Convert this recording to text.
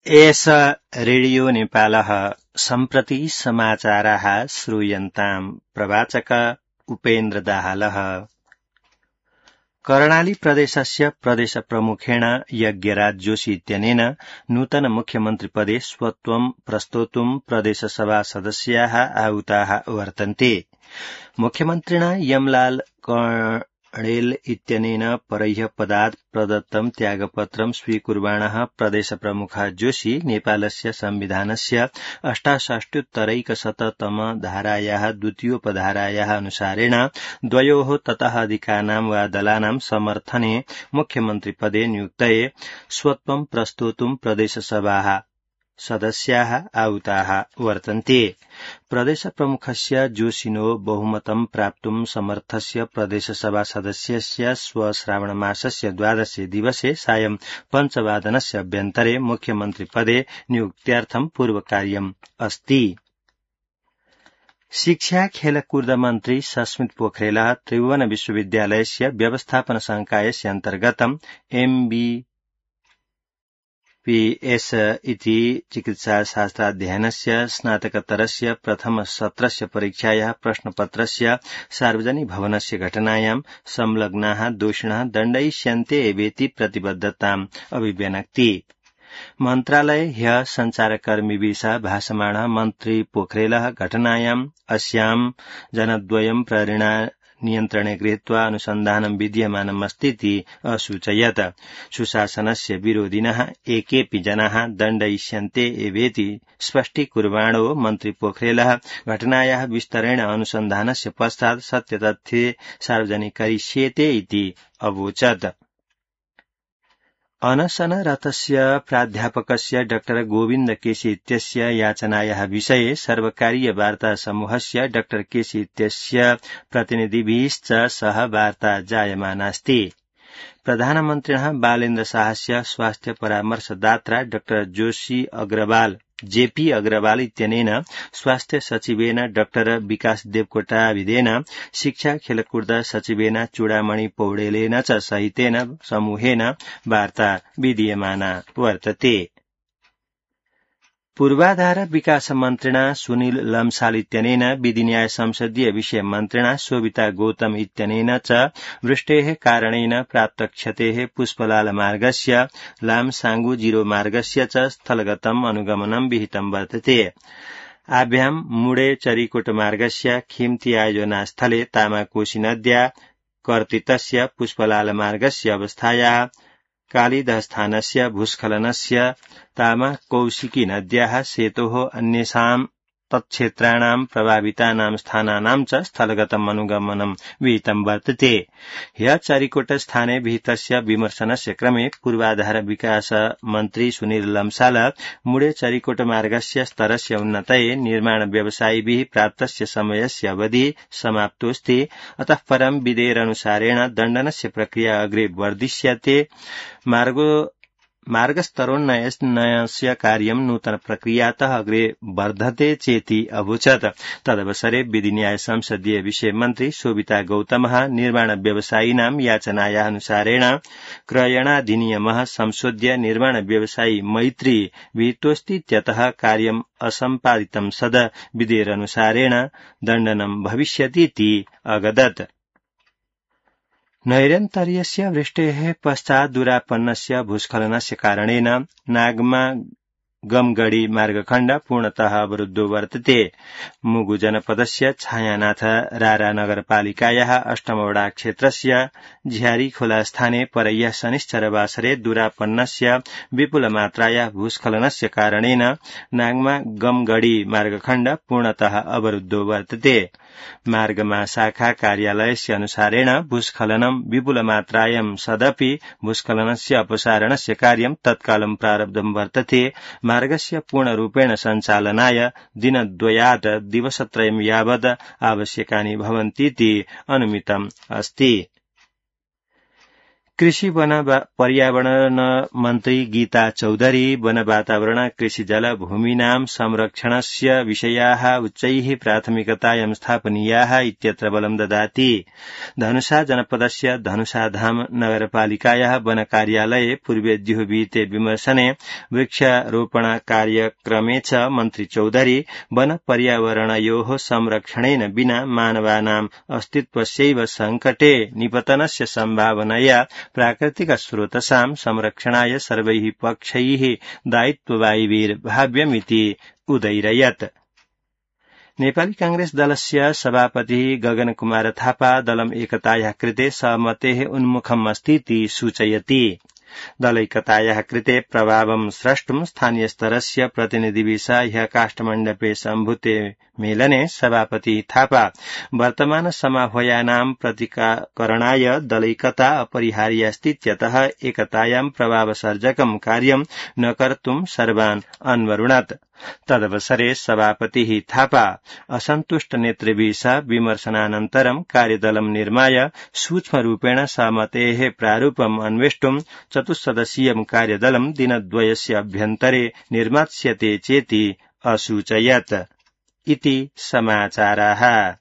एष रेडियो नेपालः सम्प्रति समाचाराः श्रूयन्ताम् प्रवाचक उपेन्द्र दाहालः। कर्णाली प्रदेशस्य प्रदेशप्रमुखेण यज्ञराज जोशी इत्यनेन नूतन मुख्यमन्त्रिपदे स्वत्वं प्रस्तोतुं प्रदेशसभा सदस्याः आहूताः वर्तन्ते। मुख्यमन्त्रिणा यमलाल कणेल इत्यनेन परह्य पदात् प्रदत्तं त्यागपत्रं स्वीकुर्वाणः प्रदेशप्रमुखः जोशी नेपालस्य संविधानस्य 68-तमैकशततम धारायाः द्वितीयोपधारायाः अनुसारेण द्वयोः ततः अधिकानां वा दलानां समर्थने मुख्यमन्त्रिपदे नियुक्तये स्वत्वं प्रस्तोतुं प्रदेशसभाः सदस्याः आहूताः वर्तन्ते। प्रदेशप्रमुखस्य जोशिनो बहुमतं प्राप्तुं समर्थस्य प्रदेशसभा सदस्यस्य श्रावणमासस्य 12 दिवसे सायं 5 अभ्यन्तरे मुख्यमन्त्रिपदे नियुक्त्यार्थं पूर्वकार्यम् अस्ति। शिक्षा खेलकूद मन्त्री सस्मित पोखरेलः त्रिभुवन विश्वविद्यालयस्य व्यवस्थापन संकायस्य अन्तर्गतम् MBPS इति चिकित्साशास्त्राध्ययनस्य स्नातकतरस्य प्रथम सत्रस्य परीक्षायाः प्रश्नपत्रस्य सार्वजनिक भवनस्य घटनायां संलग्नाः दोषिणः दण्डयिष्यन्ते एवेति प्रतिबद्धताम् अभिव्यनक्ति। मन्त्रालये ह्यः सञ्चारकर्मिभिः भाषमाणः मन्त्री पोखरेलः घटनायाम् अस्यां जनद्वयं प्रेरणा नियन्त्रणे गृहीत्वा अनुसन्धानं विद्यमानमस्तीति असूचयत्। सुशासनस्य विरोधिनः एकेऽपि जनाः दण्डयिष्यन्ते एवेति स्पष्टीकुर्वाणो मन्त्री पोखरेलः घटनायाः विस्तरेण अनुसन्धानस्य पश्चात् सत्यतथ्ये सार्वजनिकरिष्येते इति अवोचत्। अनशनरतस्य प्राध्यापकस्य डॉ गोविन्द केसी इत्यस्य याचनायाः विषये सर्वकारीय वार्ता समूहस्य डॉ केसी इत्यस्य प्रतिनिधिभिश्च सह वार्ता जायमानास्ति। प्रधानमन्त्रिणः बालेन्द्र शाहस्य स्वास्थ्य परामर्शदात्रा डॉ जेपी अग्रवाल इत्यनेन स्वास्थ्य सचिवेन डॉ विकास देवकोटाविदेन शिक्षा खेलकूद सचिवेन चूडामणि पौडेलेन च सहितेन समूहेन वार्ता विधीयमाना वर्तते। पूर्वाधार विकास मन्त्रिणा सुनील लम्साल इत्यनेन विधि न्याय संसदीय विषय मन्त्रिणा शोभिता गौतम इत्यनेन च वृष्टेः कारणेन प्राप्त क्षतेः पुष्पलाल मार्गस्य लामसाङ्गु जिरो मार्गस्य च स्थलगतम् अनुगमनं विहितं वर्तते। आभ्यां मुडे चरिकोट मार्गस्य खिम्ती आयोजनास्थले तामाकोशी नद्या कर्तितस्य पुष्पलाल मार्गस्य अवस्थायाः कालिदस्थानस्य भूस्खलनस्य तामा कौशिकी नद्याः सेतोः अन्येषां तत्क्षेत्राणां प्रभावितानां स्थानानां च स्थलगतम् अनुगमनं विहितं वर्तते। ह्यः चरिकोट स्थाने विहितस्य विमर्शनस्य क्रमे पूर्वाधार विकास मन्त्री सुनील लम्साल मुडे चरिकोट मार्गस्य स्तरस्य उन्नतये निर्माण व्यवसायिभिः प्राप्तस्य समयस्य अवधिः समाप्तोऽस्ति, अतः परं विधेयकानुसारेण दण्डनस्य प्रक्रिया अग्रे वर्धिष्यते। मार्गस्तरोन्नयनस्य कार्यं नूतन प्रक्रियातः अग्रे वर्धते चेति अवोचत्। तदवसरे विधि न्याय संसदीय विषय मन्त्री शोभिता गौतमः निर्माण व्यवसायिनां याचनायाः अनुसारेण क्रयणाधिनियमः संशोध्य निर्माण व्यवसायी मैत्री विहितोऽस्तीत्यतः कार्यम् असम्पादितं सद विधेयकानुसारेण दण्डनं भविष्यतीति अगदत्। नैरन्तर्यस्य वृष्टेः पश्चात् दुरापन्नस्य भूस्खलनस्य कारणेन नागमा गमगढी मार्गखण्ड पूर्णतः अवरुद्धो वर्तते। मुगु जनपदस्य छायानाथ रारा नगरपालिकायाः 8 क्षेत्रस्य झ्यारीखोला स्थाने परह्यः शनिश्चरवासरे दुरापन्नस्य विपुलमात्रायाः भूस्खलनस्य कारणेन नागमा गमगढी मार्गखण्ड पूर्णतः अवरुद्धो वर्तते। मार्गमा शाखा कार्यालयस्य अनुसारेण भूस्खलनं विपुलमात्रायां सदपि भूस्खलनस्य अपसारणस्य कार्यं तत्कालं प्रारब्धं वर्तते। मार्गस्य पूर्णरूपेण सञ्चालनाय दिनद्वयात् दिवसत्रयं यावत् आवश्यकानि भवन्तीति अनुमितम् अस्ति। कृषि वन पर्यावरण मन्त्री गीता चौधरी वन वातावरण कृषि जल भूमीनां संरक्षणस्य विषयाः उच्चैः प्राथमिकतायां स्थापनीयाः इत्यत्र बलं ददाति। धनुषा जनपदस्य धनुषाधाम नगरपालिकायाः वन कार्यालये पूर्वेद्युः विहिते विमर्शने वृक्षारोपण कार्यक्रमे च मन्त्री चौधरी वन पर्यावरणयोः संरक्षणेन विना मानवानां अस्तित्वस्यैव संकटे निपतनस्य सम्भावनया प्राकृतिक स्रोतसां संरक्षणाय सर्वैः पक्षैः दायित्ववायिभिर्भाव्यमिति उदैरयत्। नेपाली कांग्रेस दलस्य सभापतिः गगन कुमार थापा दलम् एकतायाः कृते सहमतेः उन्मुखम् अस्तीति सूचयति। दलैकतायाः कृते प्रभावं स्रष्टुं स्थानीयस्तरस्य प्रतिनिधिभिः ह्यः काष्ठमण्डपे सम्भूते मेलने सभापति थापा वर्तमान समाह्वयानां प्रतिकरणाय दलैकता अपरिहार्या अस्तीत्यतः एकतायां प्रभावसर्जकं कार्यं न कर्तुं सर्वान् अन्वरुणत्। तदवसरे सभापतिः थापा असन्तुष्ट नेतृभिः सह विमर्शनानन्तरं कार्यदलं निर्माय सूक्ष्मरूपेण सहमतेः प्रारूपम् अन्वेष्टुं चतुस्सदस्यीयं कार्यदलं दिनद्वयस्य अभ्यन्तरे निर्मास्यते चेति असूचयत्। इति समाचाराः।